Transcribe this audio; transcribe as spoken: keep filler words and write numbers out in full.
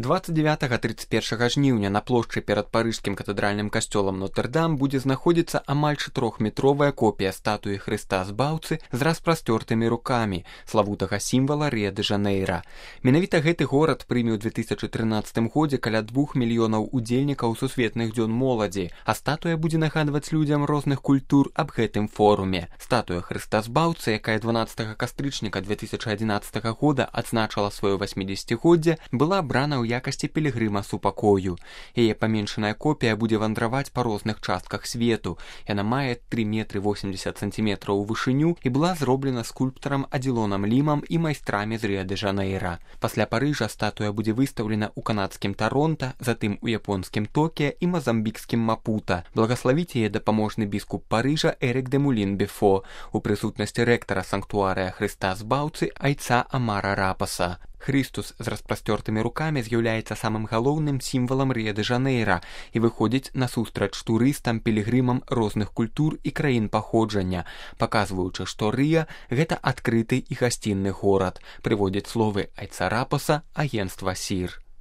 двадцать девятага - тридцать першага жніўня на плошчы перад парыжскім катэдральным касцёлам Нотр-Дам будзе знаходзіцца амаль чатырохметровая копія статуі Хрыста Збаўцы з распрасцёртымі рукамі, славутага сімвала Рыа-дэ-Жанэйра. Менавіта гэты горад прыме ў две тысячы трынаццатым годзе каля двух мільёнаў удзельнікаў сусветных дзён моладзі, а статуя будзе нагадваць людзям розных культур аб гэтым форуме. Статуя Хрыста Збаўцы, якая дванаццатага кастрычніка две тысячы адзінаццатага года адзначала сваё васьмідзесяцігоддзе, была абрана ў якасці пілігрыма супакою. Яе паменшаная копія будзе вандраваць па розных частках свету. Яна мае тры метры восемьдесят сантиметраў у вышыню і была зроблена скульптарам Адзілонам Лімам і майстрамі з Рыа-дэ-Жанэйра. Пасля Парыжа статуя будзе выстаўлена ў канадскім Таронта, затым у японскім Токіа і мазамбікскім Мапута. Благаславіць яе дапаможны біскуп Парыжа Эрік де Мулін-Бефо у прысутнасці рэктара санктуарыя Хрыста Збаўцы айца Амара Рапаса. Хрыстус з распрасцёртымі рукамі з'яўляецца самым галоўным сімвалам Рыа-дэ-Жанэйра і выходзіць насустрач турыстам, пілігрымам розных культур і краін паходжання, паказваючы, што Рыа – гэта адкрыты і гасцінны горад, прыводзяць словы айца Рапаса агенцтва СІР.